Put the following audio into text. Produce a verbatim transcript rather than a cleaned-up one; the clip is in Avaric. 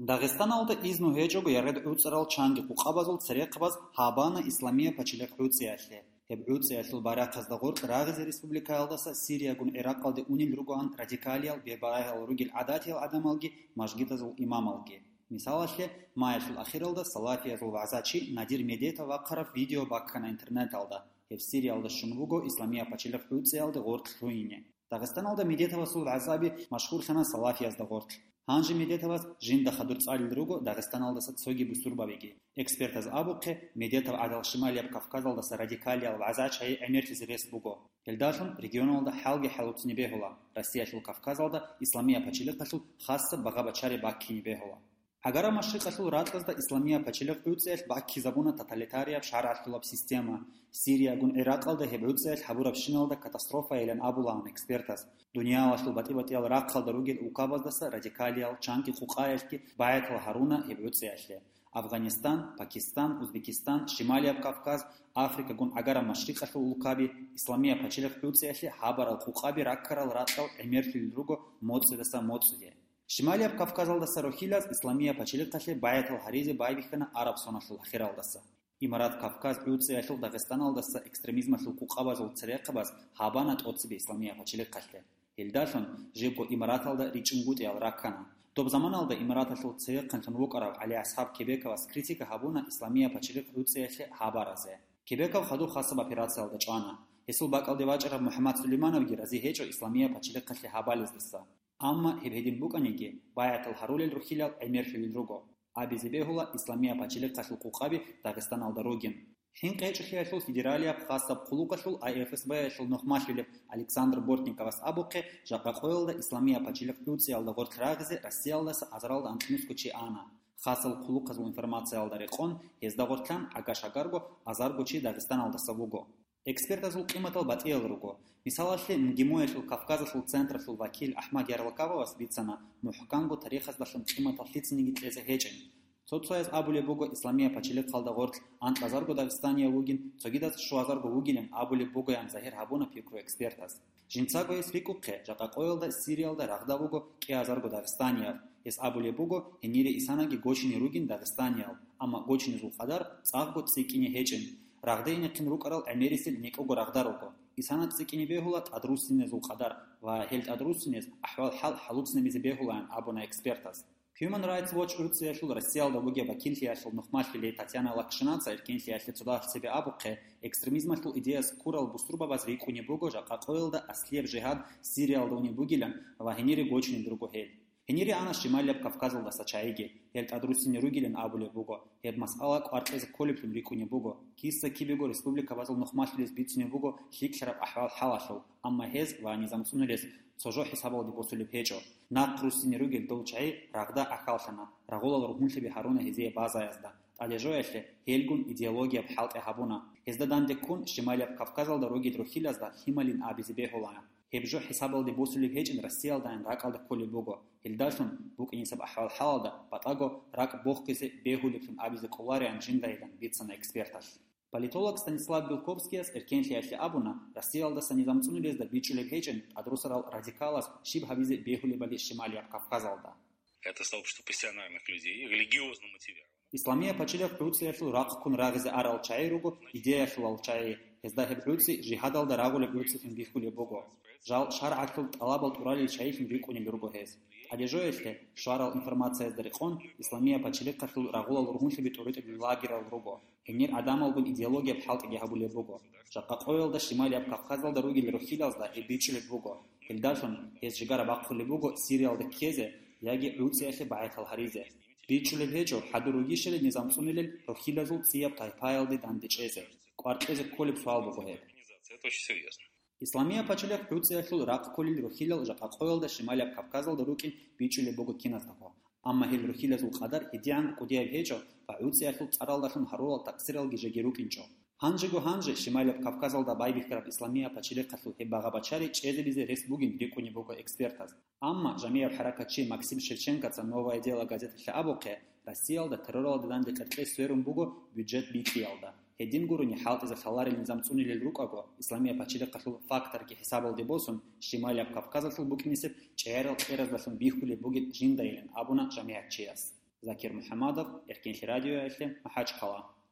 Дагъистаналда изну гьечӀого яргъи гӀуцӀарал чанги къукъабазул церехъабаз гьабана Исламия пачалихъ гӀуцӀиялъе. Гьеб гӀуцӀиялъул барахъазда гъоркь рагъизе республикаялдаса Сириягун ГӀиракъалде унел ругоан радикалиял бебарагьал ругел гӀадатиял гӀадамалги мажгитазул имамалги. Мисалалъе, маялъул ахиралда салафиязул вагӀзачи Надир Медетов вахъараб видео баккана интернеталда. Гьев Сириялда щун вуго Исламия пачалихъ гӀуцӀиялде гъоркь лъугьине. Дагъистаналда Медетовасул вагӀзаби машгьурлъана салафиязда гъоркь. Гьанже Медетовас жинда хадур цӀалел руго Дагъистаналдаса цоги бусурбабиги. Экспертаз абухъе, Медетов гӀадал Шималияб Кавказалдаса радикалиял вагӀзачи гӀемерлъизе рес буго. Гьелдалъун регионалда хӀалги хӀалуцни бегьула, Россиялъул Кавказалда Исламия пачалихъалъул хасаб багъа-бачари баккине бегьула. Гьагара машрикъалъул ракьазда Исламия пачалихъ гӀуцӀиялъ баккизабуна тоталитарияб шаргӀалъулаб система. Сириягун ГӀиракъалда гьеб гӀуцӀиялъ гьабурабщиналда катастрофайилан абулаан экспертаз. Дуниялалъул батӀи-батӀиял рахъалда ругел улкабаздаса радикалиял чанги къукъаялъги багӀатал гьаруна гьеб гӀуцӀиялъе. Афганистан, Пакистан, Узбекистан, Шималияб Кавказ, Африкагун гӀагара машрикъалъул улкаби Исламия пачалихъ гӀуцӀиялъе гьабарал къукъаби раккарал ракьал гӀемерлъулел руго моцӀидаса моцӀиде. Шималияб Кавказалдаса рухьилаз Исламия пачалихъалъе багӀатал гьаризе байбихьана араб соналъул ахиралдаса. Имарат Кавказ гӀуцӀиялъул Дагъистаналдаса экстремизмалъул къукъабазул церехъабаз гьабана тӀоцебе Исламия пачалихъалъе. Гьелдалъун жибго имараталда ричӀунгутӀиялъ раккана. Доб заманалда имараталъул церехъанлъун вукӀарав ГӀали-АсхӀаб Кебековас критика гьабуна Исламия пачалихъ гӀуцӀиялъе гьабаразе. Кебеков хадуб хасаб операциялда чӀвана. Гьесул бакӀалде вачӀараб МухӀаммад Сулеймановги рази гьечӀо Исламия пачалихъалъе гьабалездаса. Амма гьеб гьедин букӀаниги, багӀатал гьарулел рухьилал гӀемерлъулел руго. Абизе бегьула Исламия пачалихъалъул къукъаби Дагъистаналда ругин. ХӀинкъи гьечӀолъиялъул федералияб хасаб хъулухъалъул А Ф С Б-ялъул нухмалъулеб Александр Бортниковас абухъе, жакъа къоялда Исламия пачалихъ гӀуцӀиялда гъоркь рагъизе Россиялдаса азаралда анкьнусго чи ана. Хасал хъулухъазул информациялда рекъон, гьезда гъоркьан гӀага-шагарго азарго чи Дагъистаналдаса вуго. Экспертазул къиматал батӀиял руго. Мисалалъе, МГИМО-ялъул Кавказалъул централъул вакил АхӀмад Ярлакововас бицана, мухӀканго тарихаздалъун къиматал лъицаниги кьезе гьечӀин. Цо-цояз абулеб буго Исламия пачалихъалда гъоркь анкьазарго дагъистанияв вугин, цогидаз щуазарго вугилан абулеб бугоян загьир гьабуна пикру экспертаз. Жинцаго гьес рикӀухъе, жакъа къоялда Сириялда рагъда вуго кӀиазарго дагъистанияв. Гьес абулеб буго, гьенире исанаги гочине ругин дагъистаниял, амма гочинезул къадар цӀакъго цӀикӀкӀине гьечӀин. Рагъде инехъин рукӀарал гӀемерисел некӀого рагъда руго. Исана цӀикӀкӀине бегьула тӀадруссинезул къадар ва гьел тӀадруссинез ахӀвал-хӀал хӀалуцнабизе бегьулаан абуна экспертаз. Human Rights Watch гӀуцӀиялъул Россиялда бугеб вакиллъиялъул нухмалъулей Татьяна Лакшинаца эркенлъиялъе цодагьалъ цебе абухъе, экстремизмалъул идеяс ккурал бусурбабаз рикӀкӀунеб буго жакъа къоялда аслияб жигьад Сириялда унеб бугилан ва гьенире гочунеб руго гьел. Гьенире ана Шималияб Кавказалдаса чагӀиги, гьел тӀадруссине ругилан абулеб буго, гьеб масъала кӀвар кьезе кколеблъун рикӀкӀунеб буго, киса-кибего республикабазул нухмалъулез бицунеб буго лъикӀлъараб ахӀвал-хӀалалъул, амма гьез ва низам цӀунулез цо жо хӀисабалде босулеб гьечӀо. Нахъ руссине ругел дов чагӀи рагъда ахьаллъана, рагъулал ругьунлъиби гьаруна гьезие базаязда. ТӀадежоялъе гьелгун идеологияб хӀалтӀи гьабуна. Гьезда данде ккун, Шималияб Кавказалда ругел рухьилазда лъималин абизе бегьулаан. Гьеб жо хӀисабалде босулеб гьечӀин Россиялдайин ракӀалда кколеб буго. Гьелдалъун букӀинисаб ахӀвал-хӀалалда батӀаго ракӀ бохъизе бегьулеблъун абизе кӀолариан жиндайилан бицана эксперталъ. Политолог Станислав Белковскияс эркенлъиялъе абуна, Россиялдаса низам цӀунулезда бичӀчӀулеб гьечӀин тӀадрусарал радикалас щиб гьабизе бегьулебали Шималияб Кавказалда. Это сообщество пассионарных людей, религиозно мотивированных. Исламия пачалихъ гӀуцӀиялъул рахъ ккун рагъизе арал чагӀи руго, идеялъулал чагӀи, гьезда гьеб гӀуцӀи жигьадалда рагъулеб гӀуцӀилъун бихьулеб буго. Жал шаргӀалъул тӀалабал тӀуралел чагӀилъун рикӀкӀунел руго гьез. ТӀадежоялъе, шварал информациязда рекъон, Исламия пачалихъалъул рагъулал ругьунлъиби тӀуритӀулел лагерал руго. Гьенир гӀадамалгун идеологияб хӀалтӀиги гьабулеб буго. Жакъа къоялда Шималияб Кавказалда ругел рухьилазда гьеб бичӀчӀулеб буго. Гьелдалъун гьез жигара бахъулеб буго Сириялда ккезе яги гӀуцӀиялъе багӀатал гьаризе. БичӀчӀулеб гьечӀо, хӀадур ругищали низам цӀунулел рухьилазул цӀияб тайпаялде дандечӀезе. КӀвар кьезе кколеб суал буго гьеб. Это очень серьёзно. Исламия пачалихъ гӀуцӀиялъул рахъ кколел рухьилал жакъа къоялда Шималияб Кавказалда рукӀин бичӀчӀулеб буго киназдаго. Амма гьел рухьилазул къадар гьедигӀан кӀудияб гьечӀо ва гӀуцӀиялъул цӀаралдалъун гьарурал такъсиралги жеги рукӀинчӀо. Гьанжего-гьанже Шималияб Кавказалда байбихьараб Исламия пачалихъалъул гьеб багъа-бачари чӀезабизе рес бугин рикӀкӀунеб буго экспертаз. Амма жамигӀаб хӀаракатчи Максим Шевченкоца «Новое дело» газеталъе абухъе, Россиялда терроралда данде къеркьей сверун буго бюджет бикьиялда. Гьедин гурони хӀалтӀизе лъаларел низам цӀунилел рукӀаго, Исламия пачалихъалъул факторги хӀисабалде босун, Шималияб Кавказалъул букӀинисеб чӀегӀерал кьераздалъун бихьулеб бугеб жиндайилан абуна жамигӀатчияс. Закир МухӀамадов, Эркенлъи радиоялъе, МахӀачхъала.